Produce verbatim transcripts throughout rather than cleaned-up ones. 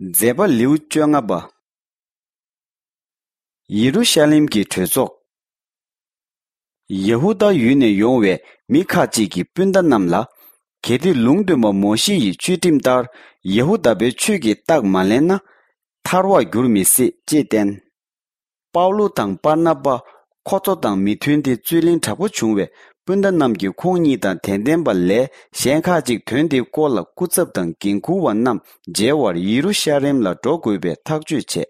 མཛད་པ་ལེའུ་བཅོ་ལྔ་པ། ཡེ་རུ་ཤ་ལེམ་གྱི་གྲོས་ཚོགས། ཡ་ཧུ་དཱ་ཡུལ་ནས་ཡོང་བའི་མི་ཁག་ཅིག་གིས་སྤུན་ཟླ་རྣམས་ལ། གལ་ཏེ་ལུང་སྟོན་པ་མོ་ཤེ་ཡི་ཆོས་ཁྲིམས་ལྟར་ཡ་ཧུ་དཱ་པའི་ཆོས་ཀྱི་རྟགས་མ་ལེན་ན། ཐར་བར་འགྱུར་མི་སྲིད་ཅེས་བསྟན། པའུ་ལུ་དང་པར་ན་པ། ཁོ་ཚོ་དང་མི་མཐུན་ཏེ་རྩོད་གླེང་དྲག་པོ་བྱུང་བས། སྤུན་ཟླ་རྣམས་ཀྱིས་ཁོང་གཉིས་དང་དད་ལྡན་པ་ལས་གཞན་ཁག་ཅིག་དོན་དེའི་སྐོར་ལ་སྐུ་ཚབ་དང་འགན་འཁུར་བ་རྣམས་མཇལ་བར་ཡེ་རུ་ཤ་ལེམ་ལ་འགྲོ་དགོས་པའི་ཐག་གཅོད་བྱས།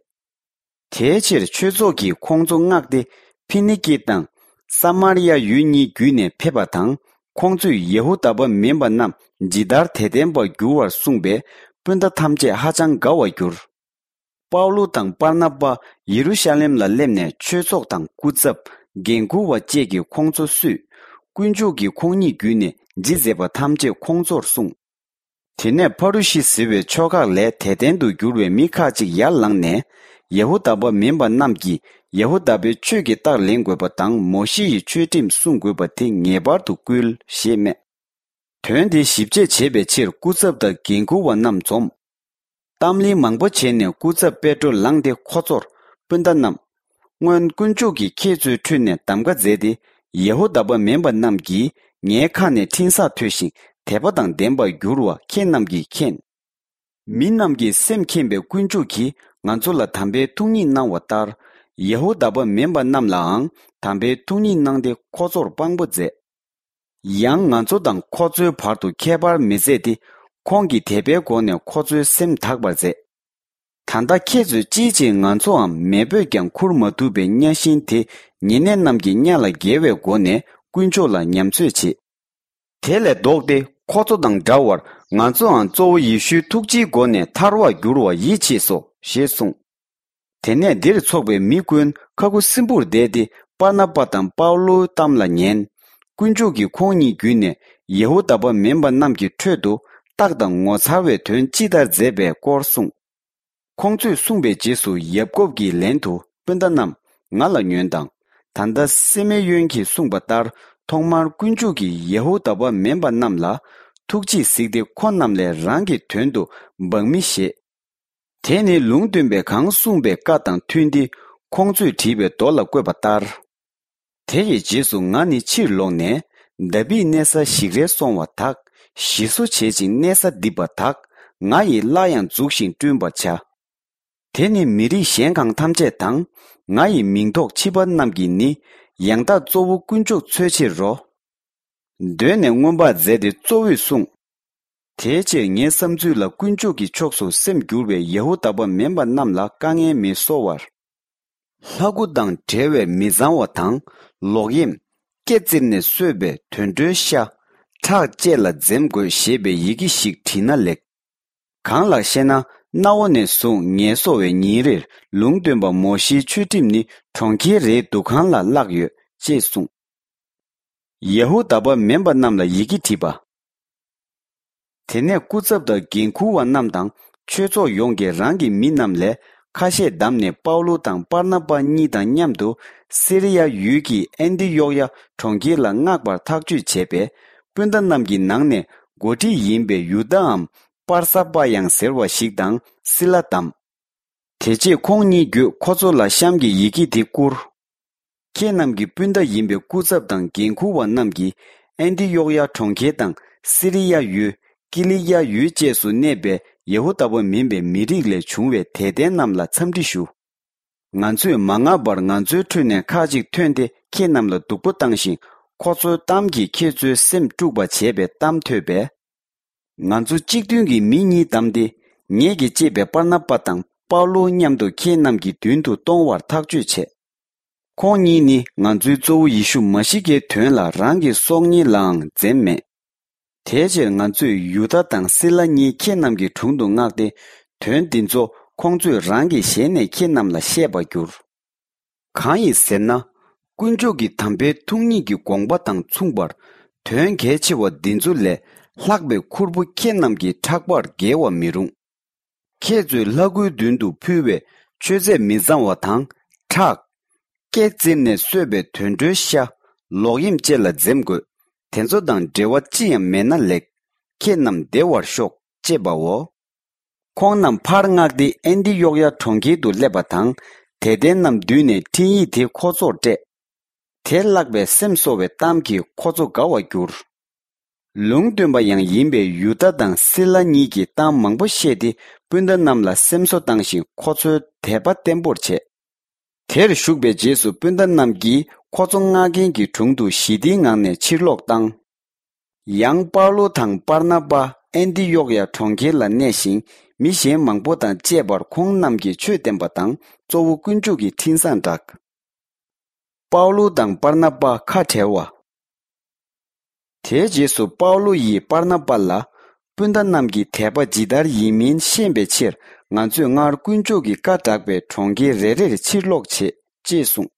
དེའི་ཕྱིར་ཆོས་ཚོགས་ཀྱིས་ཁོང་ཚོ་མངགས་ཏེ། ཕི་ནི་ཀི་དང་ས་མར་ཡ་ཡུལ་གཉིས་བརྒྱུད་ནས་ཕེབས་པ་དང་། ཁོང་ཚོས་ཡ་ཧུ་དཱ་པ་མིན་པ་རྣམས་ཇི་ལྟར་དད་ལྡན་པར་འགྱུར་བར་གསུངས་པས། སྤུན་ཟླ་ཐམས་ཅད་ཧ་ཅང་དགའ་བར་གྱུར། པའུ་ལུ་དང་པར་ན་པ་ཡེ་རུ་ཤ་ལེམ་ལ་སླེབས་ནས་ཆོས་ཚོགས་དང་སྐུ་ཚབ། འགན་འཁུར་བ་བཅས་ཀྱིས་ཁོང་ཚོ་བསུས། དཀོན་མཆོག་གིས་ཁོང་གཉིས་བརྒྱུད་ནས་ཇི་མཛད་པ་ཐམས་ཅད་ཁོང་ཚོར་གསུངས། དེ་ནས་ཕ་རུ་ཤི་ཟེར་བའི་ཕྱོགས་ཁག་ལས་དད་ལྡན་དུ་གྱུར་བའི་མི་ཁག་ཅིག་ཡར་ལངས་ནས། ཡ་ཧུ་དཱ་པ་མིན་པ་རྣམས་ཀྱིས་ཡ་ཧུ་དཱ་པའི་ཆོས་ཀྱི་རྟགས་ལེན་དགོས་པ་དང་མོ་ཤེ་ཡི་ཆོས་ཁྲིམས་སྲུང་དགོས་པ་དེ་ངེས་པར་དུ་བསྐུལ་ཞེས་སྨྲས། དོན་དེ་ཞིབ་དཔྱད་བྱེད་པའི་ཕྱིར་སྐུ་ཚབ་དང་འགན་འཁུར་བ་རྣམས་འཛོམས། གཏམ་གླེང་མང་པོ་བྱས་ནས་སྐུ་ཚབ་པེ་ཏྲོ་ལངས་ཏེ་ཁོ་ཚོར། སྤུན་ཟླ་རྣམས། སྔོན་དཀོན་མཆོག་གིས་ཁྱེད་ཚོའི་ཁྲོད་ནས་གདམ་ག་མཛད་དེ། ཡ་ཧུ་དཱ་པ་མིན་པ་རྣམས་ཀྱིས་ངའི་ཁ་ནས་འཕྲིན་བཟང་ཐོས་ཤིང་དད་པ་དང་ལྡན་པར་འགྱུར་བ་ཁྱེད་རྣམས་ཀྱིས་མཁྱེན། མི་རྣམས་ཀྱིས་སེམས་མཁྱེན་པའི་དཀོན་མཆོག་གིས་ང་ཚོ་ལ་དམ་པའི་ཐུགས་ཉིད་གནང་བ་ལྟར། ཡ་ཧུ་དཱ་པ་མིན་པ་རྣམས་ལའང་དམ་པའི་ཐུགས་ཉིད་གནང་སྟེ་ཁོ་ཚོར་དཔང་པོ་མཛད། ཡང་ང་ཚོ་དང་ཁོ་ཚོའི་བར་དུ་ཁྱད་པར་མི་མཛད་དེ། ཁོང་གིས་དད་པའི་སྒོ་ནས་ཁོ་ཚོའི་སེམས་དག་པར་མཛད། ད་ལྟ་ཁྱེད་ཚོས་ཅིའི་ཕྱིར་ང་ཚོའམ་མེས་པོས་ཀྱང་ཁུར་མ་ཐུབ་པའི་གཉའ་ཤིང་དེ་ཉེ་གནས་རྣམས་ཀྱི་གཉའ་ལ་འགེལ་བའི་སྒོ་ནས་དཀོན་མཆོག་ལ་ཉམས་ཚོད་བྱེད། དེ་ལས་ལྡོག་སྟེ་ཁོ་ཚོ་དང་འདྲ་བར་ང་ཚོའང་གཙོ་བོ་ཡེ་ཤུའི་ཐུགས་རྗེའི་སྒོ་ནས་ཐར་བར་འགྱུར་བ་ཡིད་ཆེས་སོ་ཞེས་གསུངས། དེ་ནས་འདིར་ཚོགས་པའི་མི་ཀུན་ཁ་ཁུ་སིམ་པོར་བསྡད་དེ་པར་ན་པ་དང་པའུ་ལོའི་གཏམ་ལ་ཉན། དཀོན་མཆོག་གིས་ཁོང་གཉིས་བརྒྱུད་ནས་ཡ་ཧུ་དཱ་པ་མིན་པ་རྣམས་ཀྱི་ཁྲོད་དུ་རྟགས་དང་ངོ་མཚར་བའི་དོན་ཅི་ལྟར་མཛད་པའི་སྐོར་གསུངས། ཁོང་ཚོས་གསུངས་པའི་རྗེས་སུ་ཡབ་ཀོབ་ཀྱིས་ལན་དུ་སྤུན་ཟླ་རྣམས་ང་ལ་ཉོན་དང་། ད་ལྟ་སི་མེ་ཡོན་གྱིས་གསུངས་པ་ལྟར་ཐོག་མར་དཀོན་མཆོག་གིས་ཡ་ཧུ་དཱ་པ་མིན་པ་རྣམས་ལ་ཐུགས་རྗེས་གཟིགས་ཏེ་ཁོ་རྣམས་ལས་རང་གི་དོན་དུ་འབངས་མི་བཞེས། དེ་ནི་ལུང་སྟོན་པས་གང་གསུངས་པའི་བཀའ་དང་མཐུན་ཏེ་ཁོང་ཚོས་བྲིས་པའི་མདོ་ལ་བཀོད་པ་ལྟར། དེ་ཡི་རྗེས་སུ་ང་ནི་ཕྱིར་ལོག་ནས་དཱ་བིད་གནས་ས་ཞིག་རལ་སོང་བ་དག་ཞེ་བསུ་བྱེད་ཅིང་གནས་ས་རྡིབ་པ་དག་ང་ཡི་བླ་ཡང་འཛུགས་ཤིང་བསྐྲུན་པར་བྱ། དེ་ནི་མི་རིགས་གཞན་གང་ཐམས་ཅད་དང་ང་ཡི་མིང་ཐོགས་ཕྱི་པ་རྣམས་ཀྱིས་ནི་ཡང་དག་གཙོ་བོ་དཀོན་མཆོག་འཚོལ་ཕྱིར་རོ། གདོད་ནས་མངོན་པར་མཛད་དེ་གཙོ་བོས་གསུངས། དེའི་ཕྱིར་ངའི་བསམ་ཚུལ་ལ་དཀོན་མཆོག་གི་ཕྱོགས་སུ་སེམས་བསྒྱུར་བའི་ཡ་ཧུ་དཱ་པ་མིན་པ་རྣམས་ལ་དཀའ་ངལ་མི་བཟོ་བར། ལྷ་སྐུ་དང་འབྲེལ་བའི་མི་གཙང་བ་དང་ལོག་གཡེམ། སྐེ་བཙིར་ནས་གསོས་པའི་དུད་འགྲོའི་ཤ། ཁྲག་བཅས་ལ་འཛེམ་དགོས་ཞེས་པའི་ཡི་གེ་ཞིག་བྲིས་ན་ལེགས། གང་ལགས་ཤེ་ན། གནའ་བོ་ནས་བཟུང་ངལ་གསོ་བའི་ཉིན་རེར་ལུང་སྟོན་པ་མོ་ཤེའི་ཆོས་ཁྲིམས་ནི་གྲོང་ཁྱེར་རེའི་འདུ་ཁང་ལ་བཀླགས་ཡོད་ཅེས་གསུངས། ཡ་ཧུ་དཱ་པ་མིན་པ་རྣམས་ལ་ཡི་གེ་བྲིས་པ། དེ་ནས་སྐུ་ཚབ་དང་འགན་འཁུར་བ་རྣམས་དང་ཆོས་ཚོགས་ཡོངས་ཀྱིས་རང་གི་མི་རྣམས་ལས་ཁ་ཤས་བདམས་ནས་པའུ་ལུ་དང་པར་ན་པ་གཉིས་དང་མཉམ་དུ་སི་རི་ཡ་ཡུལ་གྱི་ཨན་ཏི་ཡོག་ཡ་གྲོང་ཁྱེར་ལ་མངགས་པར་ཐག་གཅོད་བྱས་པས། སྤུན་ཟླ་རྣམས་ཀྱི་ནང་ནས་འགོ་ཁྲིད་ཡིན་པའི་ཡུ་དཱའམ་པར་ས་པ་ཡང་ཟེར་བ་ཞིག་དང་སི་ལ་བདམས། དེ་རྗེས་ཁོང་གཉིས་བརྒྱུད་ཁོ་ཚོ་ལ་གཤམ་གྱི་ཡི་གེ་འདི་བསྐུར། ཁྱེད་རྣམས་ཀྱི་སྤུན་ཟླ་ཡིན་པའི་སྐུ་ཚབ་དང་འགན་འཁུར་བ་རྣམས་ཀྱིས་ཨན་ཏི་ཡོག་ཡ་གྲོང་ཁྱེར་དང་སི་རི་ཡ་ཡུལ། ཀི་ལི་ཡ་ཡུལ་བཅས་སུ་གནས་པའི་ཡ་ཧུ་དཱ་པ་མིན་པའི་མི་རིགས་ལས་བྱུང་བའི་དད་ལྡན་རྣམས་ལ་འཚམས་འདྲི་ཞུ། ང་ཚོས་མ་མངགས་པར་ང་ཚོའི་ཁྲོད་ནས་ཁ་ཅིག་ཐོན་ཏེ་ཁྱེད་རྣམས་ལ་སྡུག་པོ་བཏང་ཞིང་ཁོ་ཚོའི་གཏམ་གྱིས་ཁྱེད་ཚོའི་སེམས་དཀྲུགས་པ་བྱས་པའི་གཏམ་ཐོས་པས། ང་ཚོ་གཅིག་མཐུན་གྱིས་མི་གཉིས་བདམས་ཏེ། ངེད་ཀྱིས་གཅེས་པའི་པར་ན་པ་དང་པའུ་ལོ་མཉམ་དུ་ཁྱེད་རྣམས་ཀྱི་མདུན་དུ་གཏོང་བར་ཐག་གཅོད་བྱས། ཁོང་གཉིས་ནི་ང་ཚོའི་གཙོ་བོ་ཡེ་ཤུ་མ་ཤི་ཀའི་དོན་ལ་རང་གི་སྲོག་ཉིད་ལའང་འཛེམ་མེད། དེའི་ཕྱིར་ང་ཚོས་ཡུ་དཱ་དང་སི་ལ་གཉིས་ཁྱེད་རྣམས་ཀྱི་དྲུང་དུ་མངགས་ཏེ། དོན་འདི་ཚོ་ཁོང་ཚོས་རང་གི་ཞལ་ནས་ཁྱེད་རྣམས་ལ་བཤད་པར་འགྱུར། གང་ཡིན་ཟེར་ན། དཀོན་མཆོག་གི་དམ་པའི་ཐུགས་ཉིད་ཀྱི་དགོངས་པ་དང་མཚུངས་པར། དོན་གལ་ཆེ་བ་འདི་ཚོ་ལས་ལྷག་པའི་ཁུར་པོ་ཁྱེད་རྣམས་ཀྱི་ཕྲག་པར་འགེལ་བ་མི་རུང་། ཁྱེད་ཚོས་ལྷ་སྐུའི་མདུན་དུ་ཕུལ་བའི་མཆོད་རྫས་མི་གཙང་བ་དང་ཁྲག། སྐེ་བཙིར་ནས་གསོས་པའི་དུད་འགྲོའི་ཤ། ལོག་གཡེམ་བཅས་ལ་འཛེམ་དགོས། དེ་ཚོ་དང་འབྲེལ་བ་ཅི་ཡང་མེད་ན་ལེགས། ཁྱེད་རྣམས་བདེ་བར་ཤོག་ཅེས་པའོ། ཁོང་རྣམས་ཕར་མངགས་ཏེ་ཨན་ཏི་ཡོག་ཡ་གྲོང་ཁྱེར་དུ་སླེབས་པ་དང་། དད་ལྡན་རྣམས་འདུས་ནས་འཕྲིན་ཡིག་དེ་ཁོ་ཚོར་སྤྲད། དེ་བཀླགས་པས་སེམས་གསོ་བའི་གཏམ་གྱིས་ཁོ་ཚོ་དགའ་བར་གྱུར། ལུང་སྟོན་པ་ཡང་ཡིན་པའི་ཡུ་དཱ་དང་སི་ལ་གཉིས་ཀྱིས་གཏམ་མང་པོ་བཤད་དེ། སྤུན་ཟླ་རྣམས་ལ་སེམས་གསོ་བཏང་ཞིང་། ཁོ་ཚོའི་དད་པ་བརྟན་པོར་བྱས། དེར་བཞུགས་པའི་རྗེས་སུ་སྤུན་ཟླ་རྣམས་ཀྱིས་ཁོ་ཚོ་མངགས་མཁན་གྱི་དྲུང་དུ་ཞི་བདེའི་ངང་ནས་ཕྱིར་ལོག་བཏང་། ཡང་པའུ་ལོ་དང་པར་ན་པ་ཨན་ཏི་ཡོག་ཡ་གྲོང་ཁྱེར་ལ་གནས་ཤིང་། མི་གཞན་མང་པོ་དང་བཅས་པར་ཁོང་རྣམས་ཀྱིས་ཆོས་བསྟན་པ་དང་། གཙོ་བོ་དཀོན་མཆོག་གི་འཕྲིན་བཟང་བསྒྲགས། པའུ་ལོ་དང་པར་ན་པ་ཁ་བྲལ་བ། དེའི་རྗེས་སུ་པའུ་ལོ་ཡིས་པར་ན་པ་ལ། སྤུན་ཟླ་རྣམས་ཀྱི་དད་པ་ཇི་ལྟར་ཡིན་མིན་ཤེས་པའི་ཕྱིར། ང་ཚོས་སྔར་དཀོན་མཆོག་གི་བཀའ་བསྒྲགས་པའི་གྲོང་ཁྱེར་རེ་རེར་ཕྱིར་ལོག་བྱེད། ཅེས་གསུངས།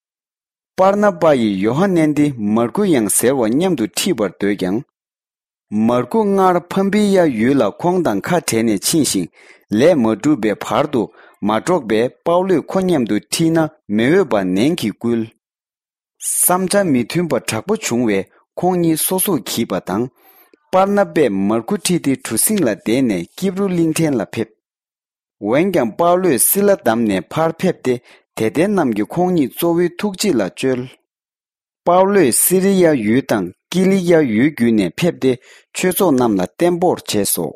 པར་ན་པ་ཡིས་ཡོ་ཧ་ནན་ཏེ་མར་ཀུ་ཡང་ཟེར་བ་མཉམ་དུ་ཁྲིད་པར་འདོད་ཀྱང་། མར་ཀུ་སྔར་ཕམ་པི་ཡ་ཡུལ་ལ་ཁོང་དང་ཁ་བྲལ་ནས་ཕྱིན་ཞིང་། ལས་མ་གྲུབ་པའི་བར་དུ་མ་འགྲོགས་པས། པའུ་ལོས་ཁོ་མཉམ་དུ་ཁྲིད་ན་མི་འོས་པ་ནན་གྱིས་བསྐུལ། བསམ་འཆར་མི་མཐུན་པ་དྲག་པོ་བྱུང་བས། ཁོང་གཉིས་སོ་སོར་གྱིས་པ་དང་། པར་ན་པས་མར་ཀུ་ཁྲིད་དེ་གྲུ་གཟིངས་ལ་བསྡད་ནས་ཀིབ་རུ་གླིང་ཕྲན་ལ་ཕེབས། འོན་ཀྱང་པའུ་ལོས་སི་ལ་བདམས་ནས་ཕར་ཕེབས་ཏེ། དད་ལྡན་རྣམས་ཀྱིས་ཁོང་ཉིད་གཙོ་བོའི་ཐུགས་རྗེ་ལ་བཅོལ། པའུ་ལོས་སི་རི་ཡ་ཡུལ་དང་ཀི་ལི་ཀ་ཡུལ་བརྒྱུད་ནས་ཕེབས་ཏེ། ཆོས་ཚོགས་རྣམས་ལ་བརྟན་པོར་བྱས་སོ།